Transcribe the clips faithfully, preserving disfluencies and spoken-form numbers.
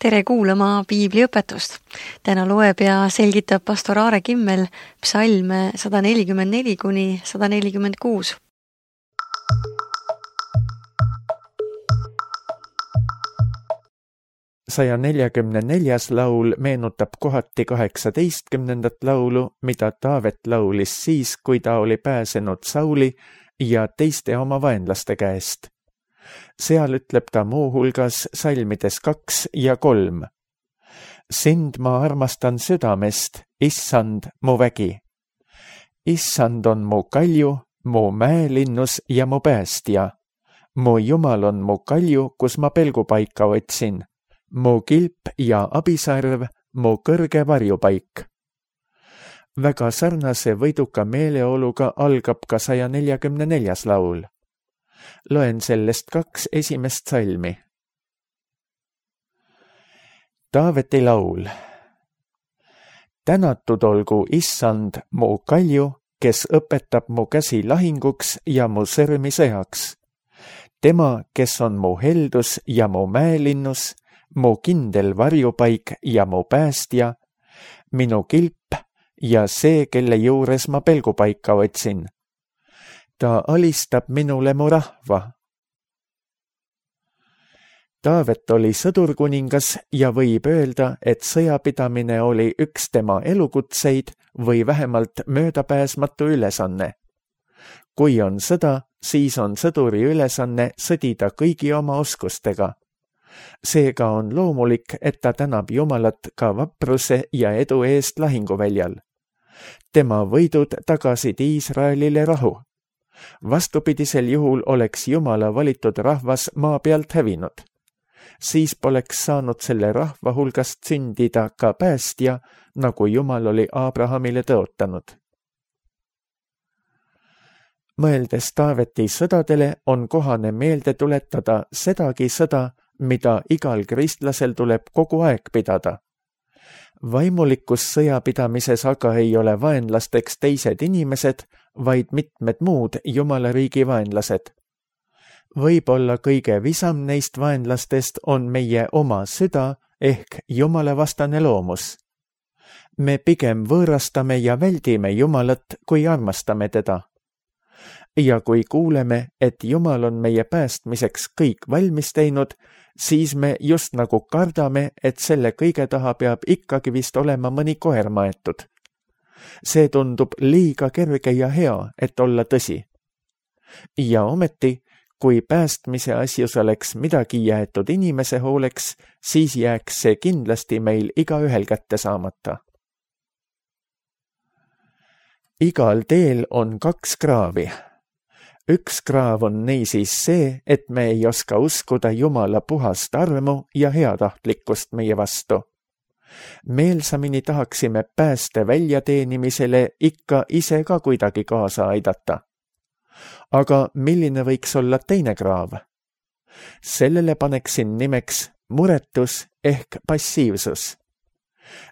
Tere kuulama piibliõpetust. Täna loeb ja selgitab pastor Aare Kimmel psalme sada nelikümmend neli kuni sada nelikümmend kuus. saja neljakümne neljas laul meenutab kohati kaheksateistkümnendat laulu, mida Taavet laulis siis, kui ta oli pääsenud Sauli ja teiste oma vaenlaste käest. Seal ütleb ta muuhulgas salmides kaks ja kolm. Sind ma armastan südamest, issand mu vägi. Issand on mu kalju, mu mäelinnus ja mu päästja. Mu Jumal on mu kalju, kus ma pelgupaika otsin. Mu kilp ja abisarv, mu kõrge varjupaik. Väga sarnase võiduka meeleoluga algab ka saja neljakümne neljas laul. Loen sellest kaks esimest salmi. Taaveti laul. Tänatud olgu issand mu kalju, kes õpetab mu käsi lahinguks ja mu sõrmi sõjaks. Tema, kes on mu heldus ja mu mäelinnus, mu kindel varjupaik ja mu päästja, minu kilp ja see, kelle juures ma pelgupaika otsin. Ta alistab minule mu rahva. Taavet oli sõdurkuningas ja võib öelda, et sõjapidamine oli üks tema elukutseid või vähemalt möödapääsmatu ülesanne. Kui on sõda, siis on sõduri ülesanne sõdida kõigi oma oskustega. Seega on loomulik, et ta tänab Jumalat ka vapruse ja edu eest lahinguväljal. Tema võidud tagasid Iisraelile rahu. Vastupidisel juhul oleks Jumala valitud rahvas maa pealt hävinud. Siis poleks saanud selle rahva hulgast sündida ka päästja, nagu Jumal oli Abrahamile tõotanud. Mõeldes Taaveti sõdadele on kohane meelde tuletada sedagi sõda, mida igal kristlasel tuleb kogu aeg pidada. Vaimulikus sõjapidamises aga ei ole vaenlasteks teised inimesed, vaid mitmed muud Jumala riigi vaenlased. Võib-olla kõige visam neist vaenlastest on meie oma süda ehk Jumala vastane loomus. Me pigem võõrastame ja väldime Jumalat, kui armastame teda. Ja kui kuuleme, et Jumal on meie päästmiseks kõik valmis teinud, siis me just nagu kardame, et selle kõige taha peab ikkagi vist olema mõni koer maetud. See tundub liiga kerge ja hea, et olla tõsi. Ja ometi, kui päästmise asjus oleks midagi jäetud inimese hooleks, siis jääks see kindlasti meil igaühel kätte saamata. Igal teel on kaks kraavi. Üks kraav on niisiis see, et me ei oska uskuda Jumala puhast armu ja heatahtlikkust meie vastu. Meelsamini tahaksime pääste väljateenimisele ikka ise ka kuidagi kaasa aidata. Aga milline võiks olla teine kraav? Sellele paneksin nimeks muretus ehk passiivsus.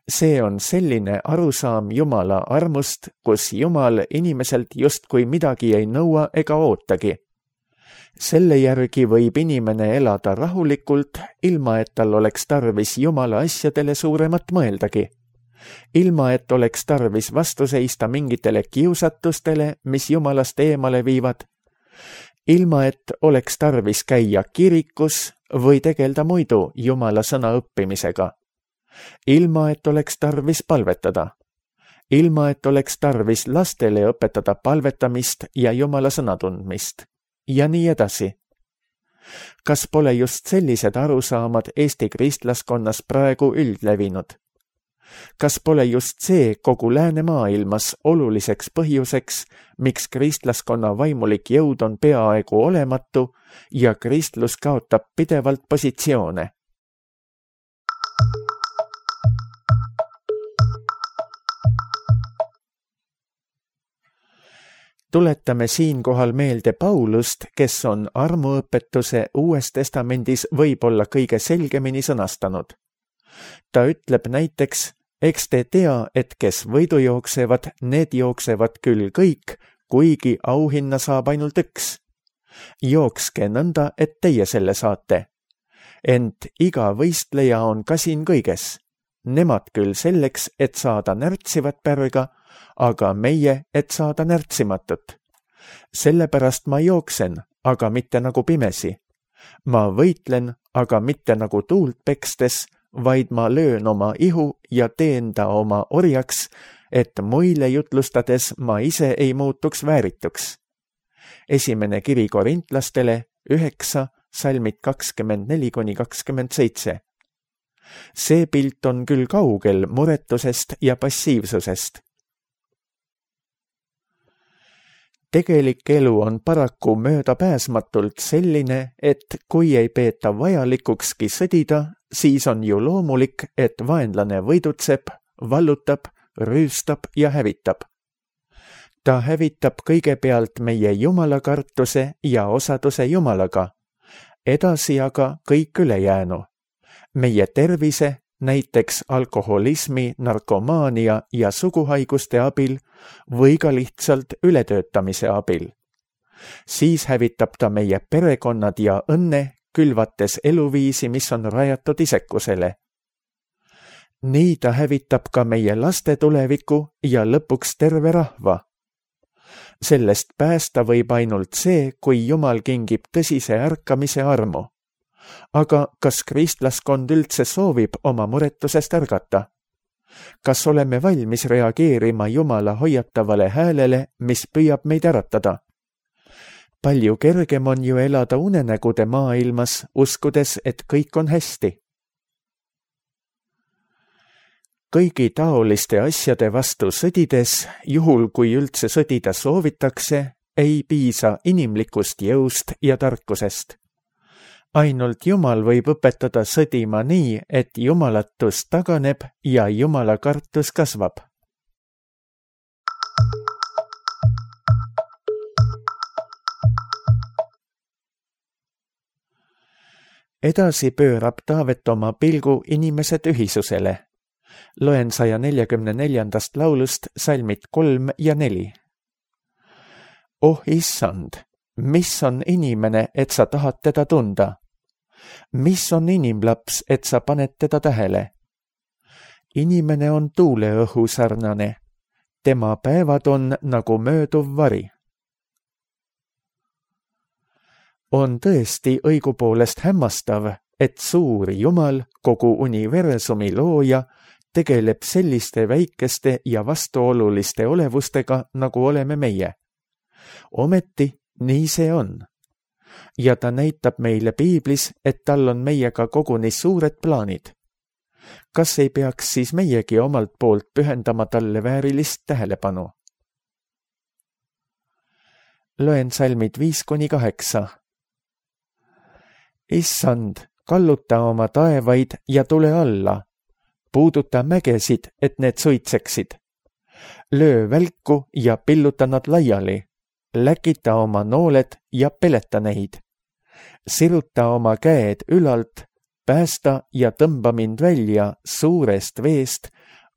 See on selline arusaam Jumala armust, kus Jumal inimeselt justkui midagi ei nõua ega ootagi. Selle järgi võib inimene elada rahulikult, ilma et tal oleks tarvis Jumala asjadele suuremat mõeldagi. Ilma et oleks tarvis vastu seista mingitele kiusatustele, mis Jumalast eemale viivad. Ilma et oleks tarvis käia kirikus või tegelda muidu Jumala sõna õppimisega. Ilma et oleks tarvis palvetada. Ilma et oleks tarvis lastele õpetada palvetamist ja Jumala sõna tundmist. Ja nii edasi. Kas pole just sellised arusaamad Eesti kristlaskonnas praegu üldlevinud? Kas pole just see kogu läänemaailmas oluliseks põhjuseks, miks kristlaskonna vaimulik jõud on peaaegu olematu ja kristlus kaotab pidevalt positsioone? Tuletame siinkohal meelde Paulust, kes on armuõpetuse Uues Testamendis võib-olla kõige selgemini sõnastanud. Ta ütleb näiteks, eks te tea, et kes võidu jooksevad, need jooksevad küll kõik, kuigi auhinna saab ainult üks. Jookske nõnda, et teie selle saate. ent iga võistleja on kasin kõiges. Nemad küll selleks, et saada närtsivat pärga, aga meie, et saada närtsimatut. Sellepärast ma jooksen, aga mitte nagu pimesi. Ma võitlen, aga mitte nagu tuult pekstes, vaid ma löön oma ihu ja teen ta oma orjaks, et muile jutlustades ma ise ei muutuks väärituks. Esimene kiri korintlastele üheksa, salmid kakskümmend neli kuni kakskümmend seitse. See pilt on küll kaugel muretusest ja passiivsusest. Tegelik elu on paraku möödapääsmatult selline, et kui ei peeta vajalikukski sõdida, siis on ju loomulik, et vaenlane võidutseb, vallutab, rüüstab ja hävitab. Ta hävitab kõigepealt meie jumalakartuse ja osaduse jumalaga, edasi aga kõik ülejäänu. Meie tervise, näiteks alkoholismi, narkomaania ja suguhaiguste abil või ka lihtsalt ületöötamise abil. Siis hävitab ta meie perekonnad ja õnne, külvates eluviisi, mis on rajatud isekusele. Nii ta hävitab ka meie laste tuleviku ja lõpuks terve rahva. Sellest päästa võib ainult see, kui Jumal kingib tõsise ärkamise armu. Aga kas kristlaskond üldse soovib oma muretusest ärgata? Kas oleme valmis reageerima Jumala hoiatavale häälele, mis püüab meid äratada? Palju kergem on ju elada unenägude maailmas, uskudes, et kõik on hästi. Kõigi taoliste asjade vastu sõdides, juhul kui üldse sõdida soovitakse, ei piisa inimlikust jõust ja tarkusest. Ainult Jumal võib õpetada sõdima nii, et jumalatus taganeb ja Jumala kartus kasvab. Edasi pöörab Taavet oma pilgu inimese tühisusele. Loen saja neljakümne neljandast laulust salmid kolm ja neli. Oh issand, mis on inimene, et sa tahad teda tunda? Mis on inimlaps, et sa paned teda tähele? Inimene on tuuleõhu sarnane. Tema päevad on nagu mööduv vari. On tõesti õigupoolest hämmastav, et suur Jumal, kogu universumi looja, tegeleb selliste väikeste ja vastuoluliste olevustega, nagu oleme meie. Ometi nii see on. Ja ta näitab meile piiblis, et tal on meiega koguni suured plaanid. Kas ei peaks siis meiegi omalt poolt pühendama talle väärilist tähelepanu? Loen salmid viis kuni kaheksa. Issand, kalluta oma taevaid ja tule alla. Puuduta mägesid, et need suitseksid. Löö välku ja pilluta nad laiali. Läkita oma nooled ja peleta neid. Siruta oma käed ülalt, päästa ja tõmba mind välja suurest veest,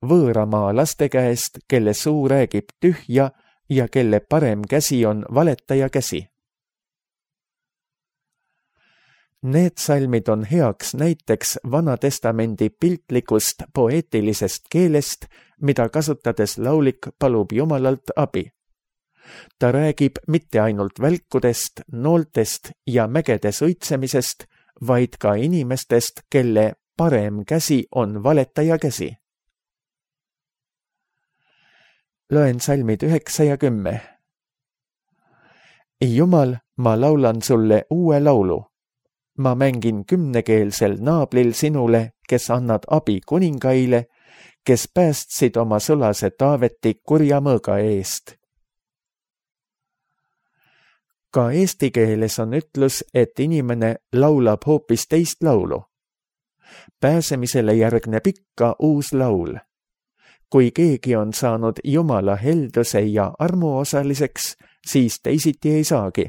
võõramaa laste käest, kelle suu räägib tühja ja kelle parem käsi on valetaja käsi. Need salmid on heaks näiteks Vanatestamendi piltlikust poeetilisest keelest, mida kasutades laulik palub Jumalalt abi. Ta räägib mitte ainult välkudest, nooltest ja mägede suitsemisest, vaid ka inimestest, kelle parem käsi on valetaja käsi. Loen salmid üheksa ja kümme. Jumal, ma laulan sulle uue laulu. Ma mängin kümnekeelsel naablil sinule, kes annad abi kuningaile, kes päästsid oma sulase Taaveti kurja mõõga eest. Ka eesti keeles on ütlus, et inimene laulab hoopis teist laulu. Pääsemisele järgneb ikka uus laul. Kui keegi on saanud Jumala helduse ja armu osaliseks, siis teisiti ei saagi.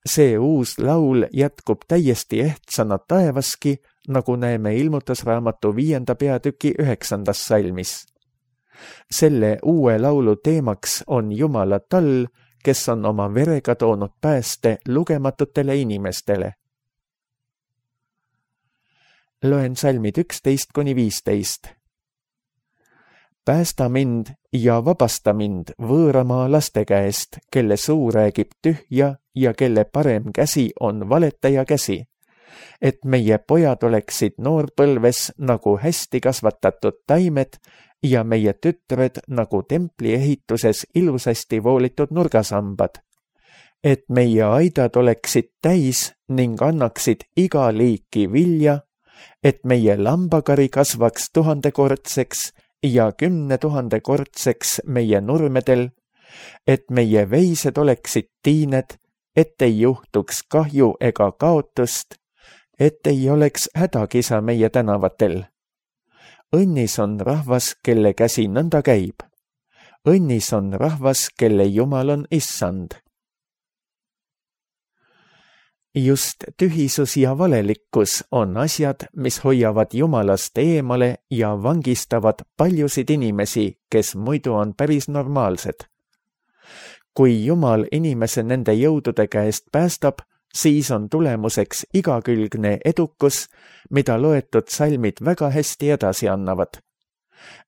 See uus laul jätkub täiesti ehtsana taevaski, nagu näeme ilmutusraamatu viienda peatüki üheksandas salmis. Selle uue laulu teemaks on Jumala tall, kes on oma verega toonud pääste lugematutele inimestele. Loen salmid üksteist kuni viisteist. Päästa mind ja vabasta mind võõramaa laste käest, kelle suu räägib tühja ja kelle parem käsi on valetaja käsi, et meie pojad oleksid noorpõlves nagu hästi kasvatatud taimed ja meie tütred nagu templi ehituses ilusasti voolitud nurgasambad, et meie aidad oleksid täis ning annaksid iga liiki vilja, et meie lambakari kasvaks tuhandekordseks ja kümne tuhandekordseks meie nurmedel, et meie veised oleksid tiined, et ei juhtuks kahju ega kaotust, et ei oleks hädakisa meie tänavatel. Õnnis on rahvas, kelle käsi nõnda käib. Õnnis on rahvas, kelle Jumal on issand. Just tühisus ja valelikkus on asjad, mis hoiavad Jumalast eemale ja vangistavad paljusid inimesi, kes muidu on päris normaalsed. Kui Jumal inimese nende jõudude käest päästab, siis on tulemuseks igakülgne edukus, mida loetud salmid väga hästi edasi annavad.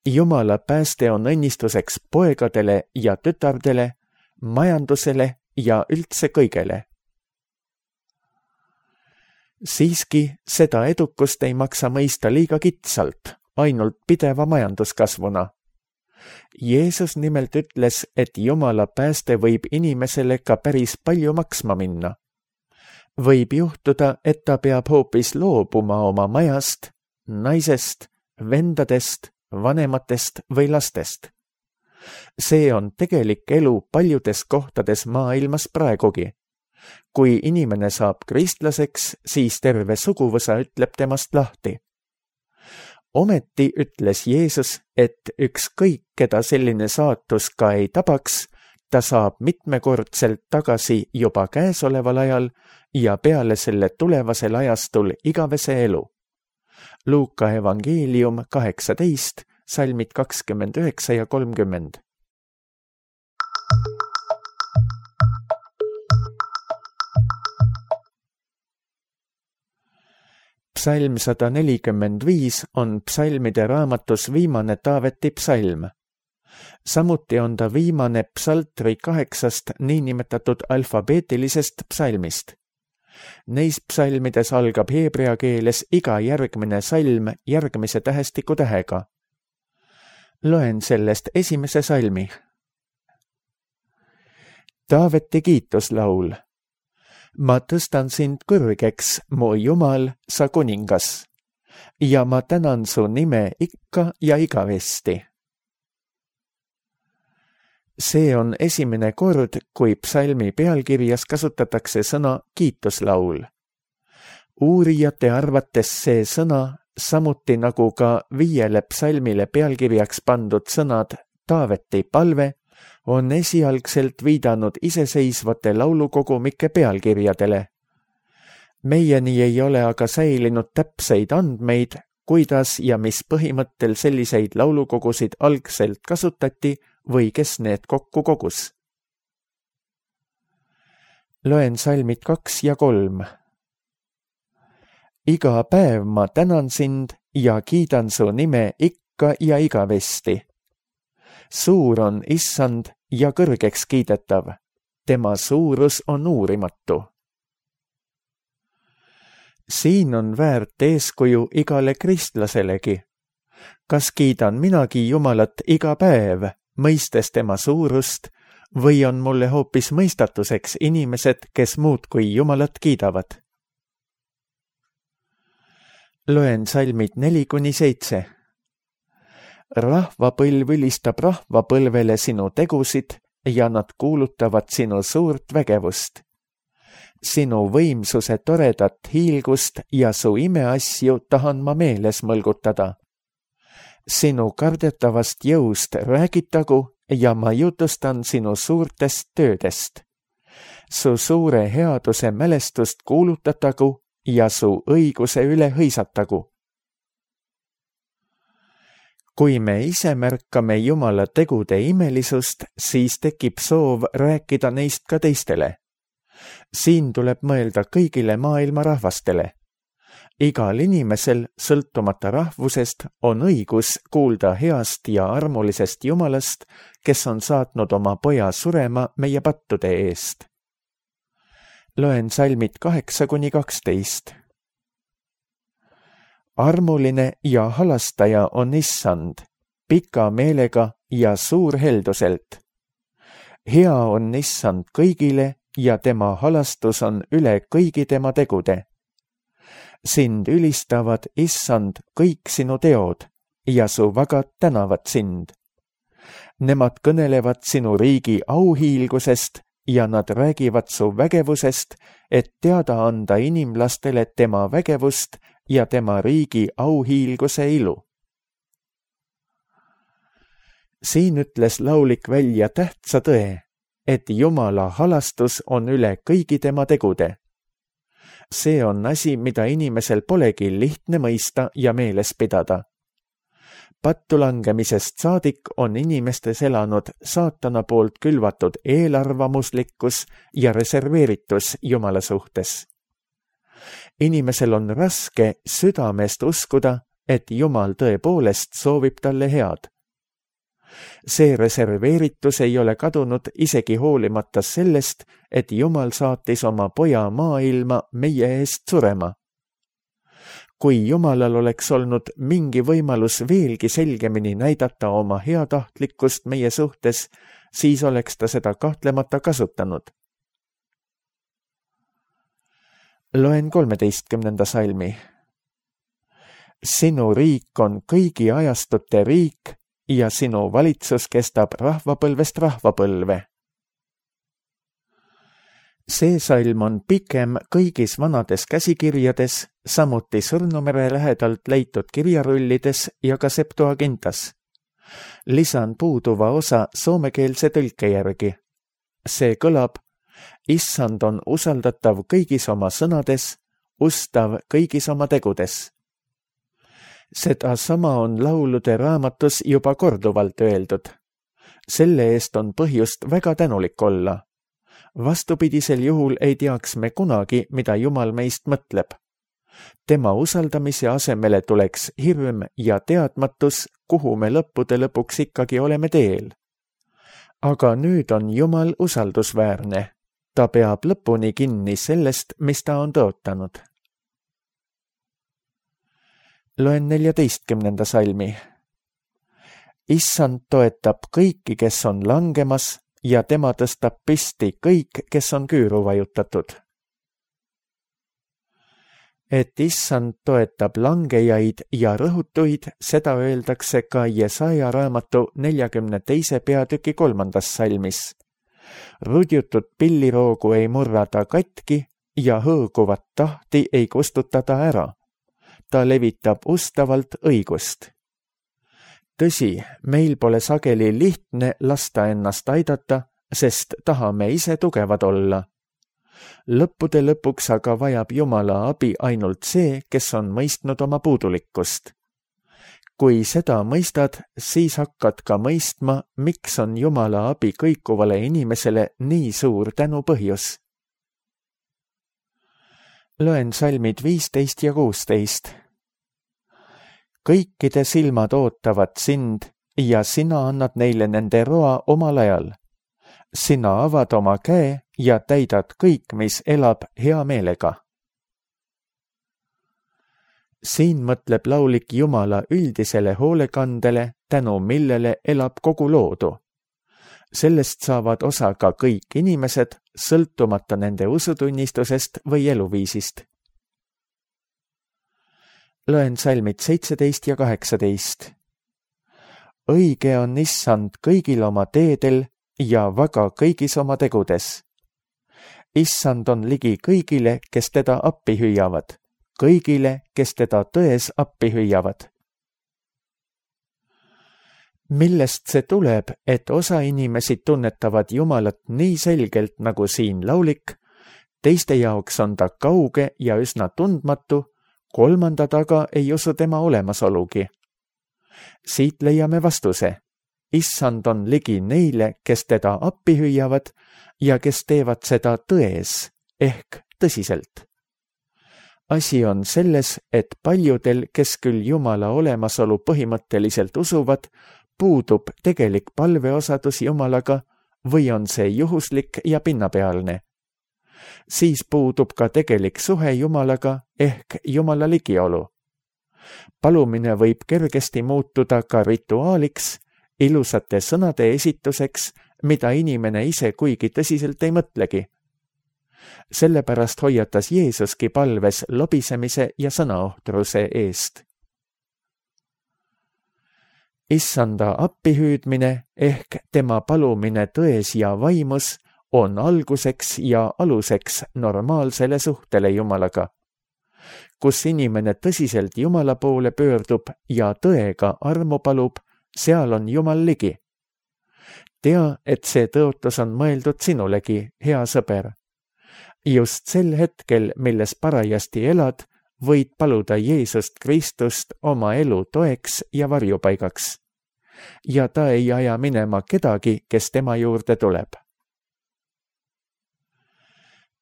Jumala pääste on õnnistuseks poegadele ja tütardele, majandusele ja üldse kõigele. Siiski seda edukust ei maksa mõista liiga kitsalt, ainult pideva majanduskasvuna. Jeesus nimelt ütles, et Jumala pääste võib inimesele ka päris palju maksma minna. Võib juhtuda, et ta peab hoopis loobuma oma majast, naisest, vendadest, vanematest või lastest. See on tegelik elu paljudes kohtades maailmas praegugi. Kui inimene saab kristlaseks, siis terve suguvõsa ütleb temast lahti. Ometi ütles Jeesus, et ükskõik, keda selline saatus ka ei tabaks, ta saab mitmekordselt tagasi juba käesoleval ajal ja peale selle tulevasel ajastul igavese elu. Luuka evangeelium kaheksateist, salmid kakskümmend üheksa ja kolmkümmend. Psalm sada nelikümmend viis on psalmide raamatus viimane Taaveti psalm. Samuti on ta viimane psaltri kaheksast niinimetatud alfabeetilisest psalmist. Neis psalmides algab heebrea keeles iga järgmine salm järgmise tähestiku tähega. Loen sellest esimese salmi. Taaveti kiituslaul. Ma tõstan sind kõrgeks, mu Jumal, sa kuningas, ja ma tänan su nime ikka ja igavesti. See on esimene kord, kui psalmi pealkirjas kasutatakse sõna kiituslaul. Uurijate arvates see sõna, samuti nagu ka viiele psalmile pealkirjaks pandud sõnad Taaveti palve, on esialgselt viidanud iseseisvate laulukogumike pealkirjadele. Meieni ei ole aga säilinud täpseid andmeid, kuidas ja mis põhimõttel selliseid laulukogusid algselt kasutati või kes need kokku kogus. Loen salmid kaks ja kolm. Iga päev ma tänan sind ja kiidan su nime ikka ja igavesti. Suur on issand ja kõrgeks kiidetav. Tema suurus on uurimatu. Siin on väärt eeskuju igale kristlaselegi. Kas kiidan minagi Jumalat iga päev, mõistes tema suurust, või on mulle hoopis mõistatuseks inimesed, kes muud kui Jumalat kiidavad? Loen salmid neli kuni seitse. Rahvapõlv ülistab rahvapõlvele sinu tegusid ja nad kuulutavad sinu suurt vägevust. Sinu võimsuse toredat hiilgust ja su imeasju tahan ma meeles mõlgutada. Sinu kardetavast jõust räägitagu ja ma jutustan sinu suurtest töödest. Su suure headuse mälestust kuulutatagu ja su õiguse üle hõisatagu. Kui me ise märkame Jumala tegude imelisust, siis tekib soov rääkida neist ka teistele. Siin tuleb mõelda kõigile maailma rahvastele. igal inimesel, sõltumata rahvusest, on õigus kuulda heast ja armulisest Jumalast, kes on saatnud oma poja surema meie pattude eest. Loen salmid kaheksa kuni kaksteist. Armuline ja halastaja on Issand, pika meelega ja suur helduselt. Hea on Issand kõigile ja tema halastus on üle kõigi tema tegude. Sind ülistavad, Issand, kõik sinu teod ja su vagad tänavad sind. Nemad kõnelevad sinu riigi auhiilgusest ja nad räägivad su vägevusest, et teada anda inimlastele tema vägevust ja tema riigi auhiilguse ilu. Siin ütles laulik välja tähtsa tõe, et Jumala halastus on üle kõigi tema tegude. See on asi, mida inimesel polegi lihtne mõista ja meeles pidada. Pattu langemisest saadik on inimestes elanud saatana poolt külvatud eelarvamuslikkus ja reserveeritus Jumala suhtes. Inimesel on raske südamest uskuda, et Jumal tõepoolest soovib talle head. See reserveeritus ei ole kadunud isegi hoolimata sellest, et Jumal saatis oma poja maailma meie eest surema. Kui Jumalal oleks olnud mingi võimalus veelgi selgemini näidata oma heatahtlikkust meie suhtes, siis oleks ta seda kahtlemata kasutanud. Loen kolmeteistkümnenda salmi. Sinu riik on kõigi ajastute riik ja sinu valitsus kestab rahvapõlvest rahvapõlve. See salm on pikem kõigis vanades käsikirjades, samuti Sõrnumere lähedalt leitud kirjarullides ja ka Septuagintas. Lisan puuduva osa soomekeelse tõlke järgi. See kõlab: Issand on usaldatav kõigis oma sõnades, ustav kõigis oma tegudes. Seda sama on laulude raamatus juba korduvalt öeldud. Selle eest on põhjust väga tänulik olla. Vastupidisel juhul ei teaks me kunagi, mida Jumal meist mõtleb. Tema usaldamise asemele tuleks hirm ja teadmatus, kuhu me lõppude lõpuks ikkagi oleme teel. Aga nüüd on Jumal usaldusväärne. Ta peab lõpuni kinni sellest, mis ta on tõotanud. Loen neljateistkümnenda salmi. Issand toetab kõiki, kes on langemas, ja tema tõstab püsti kõik, kes on küüru vajutatud. Et Issand toetab langejaid ja rõhutuid, seda öeldakse ka Jesaja raamatu neljakümne teise peatüki kolmandas salmis. Rudjutud pilliroogu ei murra ta katki ja hõõguvat tahti ei kustuta ta ära. Ta levitab ustavalt õigust. Tõsi, meil pole sageli lihtne lasta ennast aidata, sest tahame ise tugevad olla. Lõppude lõpuks aga vajab Jumala abi ainult see, kes on mõistnud oma puudulikkust. Kui seda mõistad, siis hakkad ka mõistma, miks on Jumala abi kõikuvale inimesele nii suur tänu põhjus. Loen salmid viisteist ja kuusteist. Kõikide silmad ootavad sind ja sina annad neile nende roa omal ajal. Sina avad oma käe ja täidad kõik, mis elab hea meelega. Siin mõtleb laulik Jumala üldisele hoolekandele, tänu millele elab kogu loodu. Sellest saavad osa ka kõik inimesed, sõltumata nende usutunnistusest või eluviisist. Loen salmid seitseteist ja kaheksateist. Õige on Issand kõigil oma teedel ja vaga kõigis oma tegudes. Issand on ligi kõigile, kes teda appi hüüavad, kõigile, kes teda tões appi hüüavad. Millest see tuleb, et osa inimesi tunnetavad Jumalat nii selgelt nagu siin laulik, teiste jaoks on ta kauge ja üsna tundmatu, kolmanda taga ei usu tema olemasolugi. Siit leiame vastuse. Issand on ligi neile, kes teda appi hüüavad ja kes teevad seda tões ehk tõsiselt. asi on selles, et paljudel, kes küll Jumala olemasolu põhimõtteliselt usuvad, puudub tegelik palveosadus Jumalaga või on see juhuslik ja pinnapealne. Siis puudub ka tegelik suhe Jumalaga ehk Jumala ligiolu. Palumine võib kergesti muutuda ka rituaaliks, ilusate sõnade esituseks, mida inimene ise kuigi tõsiselt ei mõtlegi. Sellepärast hoiatas Jeesuski palves lobisemise ja sõnaohtruse eest. Issanda appihüüdmine ehk tema palumine tões ja vaimus on alguseks ja aluseks normaalsele suhtele Jumalaga, kus inimene tõsiselt Jumala poole pöördub ja tõega armu palub, seal on Jumal ligi. Tea, et see tõotus on mõeldud sinulegi, hea sõber. Just sel hetkel, milles parajasti elad, võid paluda Jeesust Kristust oma elu toeks ja varjupaigaks. Ja ta ei aja minema kedagi, kes tema juurde tuleb.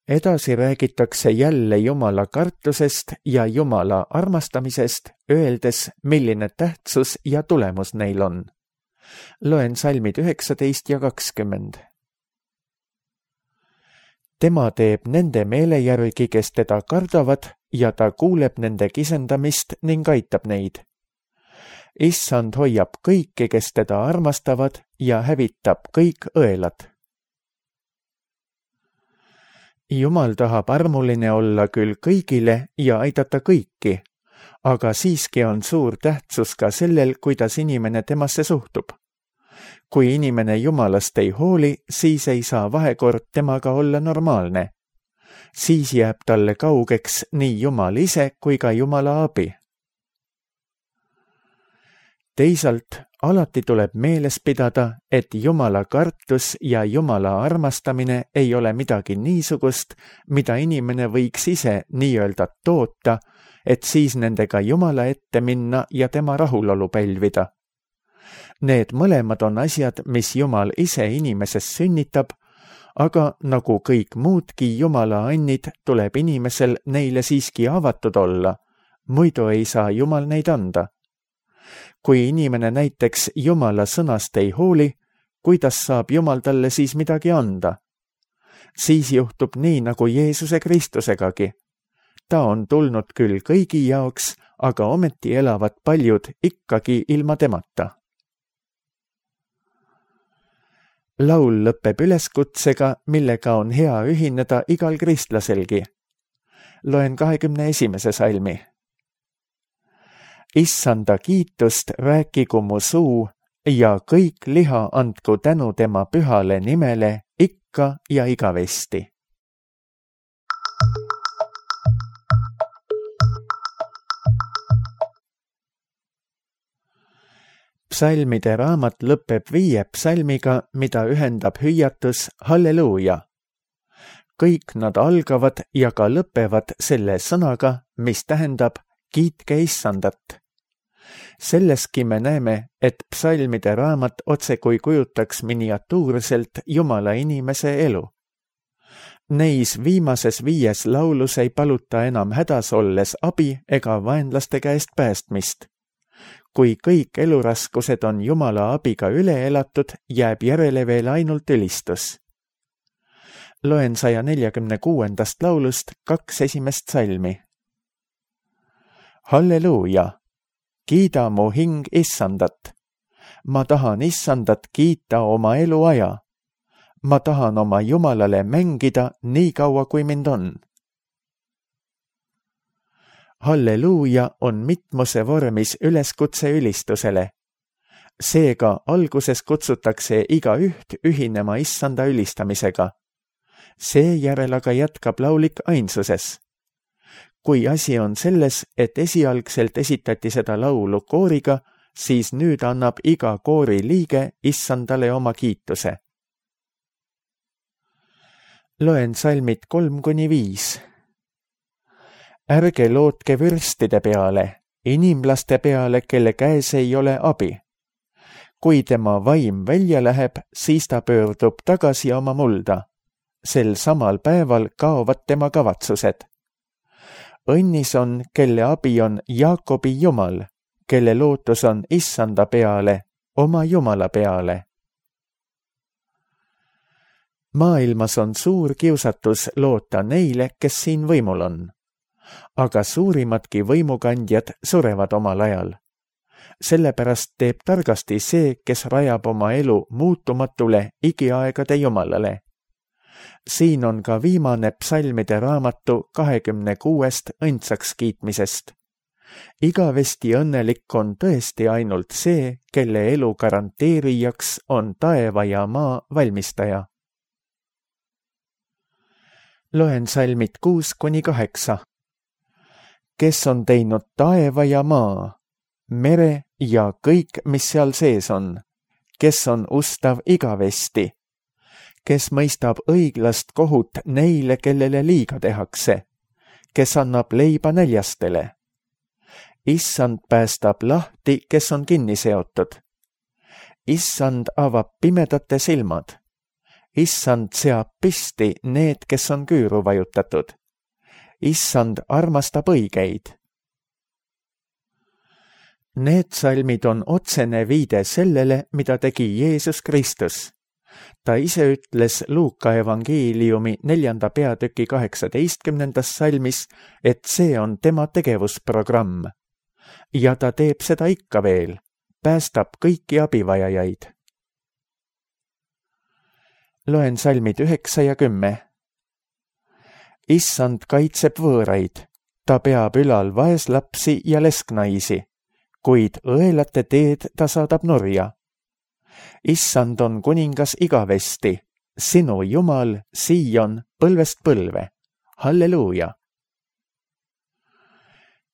Edasi räägitakse jälle Jumala kartusest ja Jumala armastamisest, öeldes, milline tähtsus ja tulemus neil on. Loen salmid üheksateist ja kakskümmend. Tema teeb nende meele järgi, kes teda kardavad, ja ta kuuleb nende kisendamist ning aitab neid. Issand hoiab kõiki, kes teda armastavad, ja hävitab kõik õelad. Jumal tahab armuline olla küll kõigile ja aidata kõiki, aga siiski on suur tähtsus ka sellel, kuidas inimene temasse suhtub. Kui inimene Jumalast ei hooli, siis ei saa vahekord temaga olla normaalne. Siis jääb talle kaugeks nii Jumal ise kui ka Jumala abi. Teisalt alati tuleb meeles pidada, et Jumala kartus ja Jumala armastamine ei ole midagi niisugust, mida inimene võiks ise nii-öelda toota, et siis nendega Jumala ette minna ja tema rahulolu pälvida. Need mõlemad on asjad, mis Jumal ise inimeses sünnitab, aga nagu kõik muudki Jumala annid, tuleb inimesel neile siiski avatud olla, muidu ei saa Jumal neid anda. Kui inimene näiteks Jumala sõnast ei hooli, kuidas saab Jumal talle siis midagi anda? Siis juhtub nii nagu Jeesuse Kristusegagi. Ta on tulnud küll kõigi jaoks, aga ometi elavad paljud ikkagi ilma temata. Laul lõpeb üleskutsega, millega on hea ühineda igal kristlaselgi. Loen kahekümne esimese salmi. Issanda kiitust rääkigu mu suu ja kõik liha andku tänu tema pühale nimele ikka ja igavesti. Psalmide raamat lõpeb viie psalmiga, mida ühendab hüüatus Halleluuja. Kõik nad algavad ja ka lõpevad selle sõnaga, mis tähendab kiitke Issandat. Selleski me näeme, et psalmide raamat otsekui kujutaks miniatuurselt Jumala inimese elu. Neis viimases viies laulus ei paluta enam hädas olles abi ega vaenlaste käest päästmist. Kui kõik eluraskused on Jumala abiga üle elatud, jääb järele veel ainult ülistus. Loen saja neljakümne kuuendast laulust kaks esimest salmi. Halleluuja! Kiida mu hing Issandat. Ma tahan Issandat kiita oma eluaja. Ma tahan oma Jumalale mängida nii kaua, kui mind on. Halleluuja on mitmuse vormis üleskutse ülistusele. Seega alguses kutsutakse igaüht ühinema Issanda ülistamisega. Seejärel aga jätkab laulik ainsuses. Kui asi on selles, et esialgselt esitati seda laulu kooriga, siis nüüd annab iga koori liige Issandale oma kiituse. Loen salmid kolm kuni viis. Ärge lootke vürstide peale, inimlaste peale, kelle käes ei ole abi. Kui tema vaim välja läheb, siis ta pöördub tagasi oma mulda. Sel samal päeval kaovad tema kavatsused. õnnis on, kelle abi on Jaakobi Jumal, kelle lootus on Issanda peale, oma Jumala peale. Maailmas on suur kiusatus loota neile, kes siin võimul on. Aga suurimadki võimukandjad surevad omal ajal. Sellepärast teeb targasti see, kes rajab oma elu muutumatule igiaegade Jumalale. Siin on ka viimane psalmide raamatu kahekümne kuuest õndsaks kiitmisest. Igavesti õnnelik on tõesti ainult see, kelle elu garanteerijaks on taeva ja maa valmistaja. Loen salmid kuus kuni kaheksa. Kes on teinud taeva ja maa, mere ja kõik, mis seal sees on, kes on ustav igavesti, kes mõistab õiglast kohut neile, kellele liiga tehakse, kes annab leiba näljastele. Issand päästab lahti, kes on kinni seotud. Issand avab pimedate silmad. Issand seab pisti need, kes on küüru vajutatud. Issand armastab õigeid. Need salmid on otsene viide sellele, mida tegi Jeesus Kristus. Ta ise ütles Luuka evangeeliumi neljanda peatüki kaheksateistkümnendas salmis, et see on tema tegevusprogramm. Ja ta teeb seda ikka veel, päästab kõiki abivajajaid. Loen salmid üheksa ja kümme. Issand kaitseb võõraid, ta peab ülal vaeslapsi ja lesknaisi, kuid õelate teed ta saadab nurja. Issand on kuningas igavesti, sinu Jumal, Siion, põlvest põlve. Halleluuja!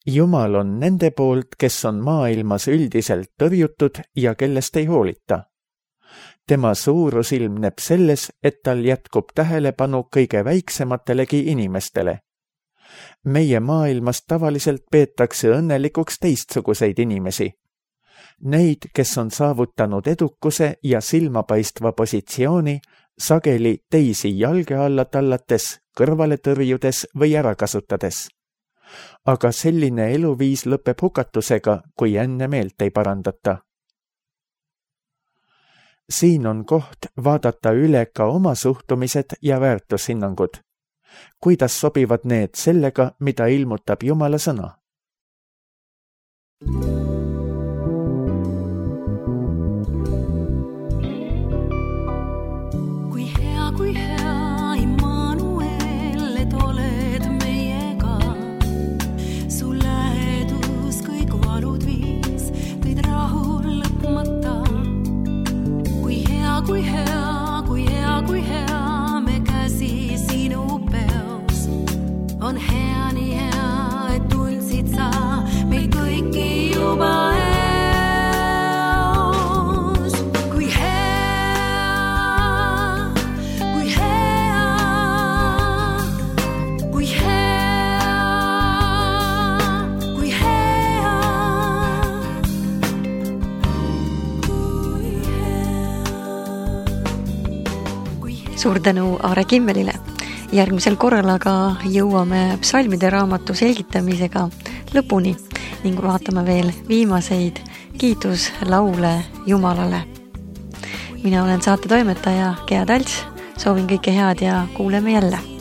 Jumal on nende poolt, kes on maailmas üldiselt tõrjutud ja kellest ei hoolita. Tema suurus ilmneb selles, et tal jätkub tähelepanu kõige väiksematelegi inimestele. Meie maailmas tavaliselt peetakse õnnelikuks teistsuguseid inimesi. Neid, kes on saavutanud edukuse ja silmapaistva positsiooni, sageli teisi jalge alla tallates, kõrvale tõrjudes või ära kasutades. Aga selline eluviis lõpeb hukatusega, kui enne meelt ei parandata. Siin on koht vaadata üle ka oma suhtumised ja väärtushinnangud. Kuidas sobivad need sellega, mida ilmutab Jumala sõna? Kui hea, kui hea, Immanuel, et oled meiega. Su lähedus kõik valud viis, tõid rahul lõpmata. Kui hea, kui hea, kui hea, kui hea, me käsi sinu peos. On hea, nii hea, et tundsid sa meil kõiki juba eos. Kui hea, kui hea, kui hea, kui hea, kui hea. Suur tänu Aare Kimmelile. Järgmisel korral aga jõuame psalmide raamatu selgitamisega lõpuni ning vaatame veel viimaseid kiituslaule Jumalale. Mina olen saate toimetaja Gea Talts, soovin kõike head ja kuuleme jälle.